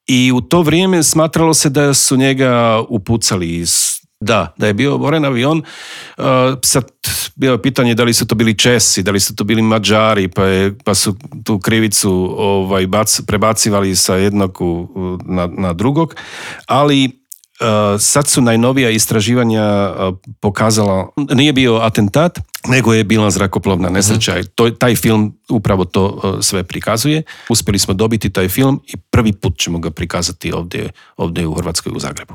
I u to vrijeme smatralo se da su njega upucali da je bio oboren avion. Sad bilo je pitanje da li su to bili Česi, da li su to bili Mađari, pa su tu krivicu prebacivali sa jednog na drugog, ali sad su najnovija istraživanja pokazala, nije bio atentat, nego je bila zrakoplovna nesreća. Taj film upravo to sve prikazuje. Uspjeli smo dobiti taj film i prvi put ćemo ga prikazati ovdje u Hrvatskoj, u Zagrebu.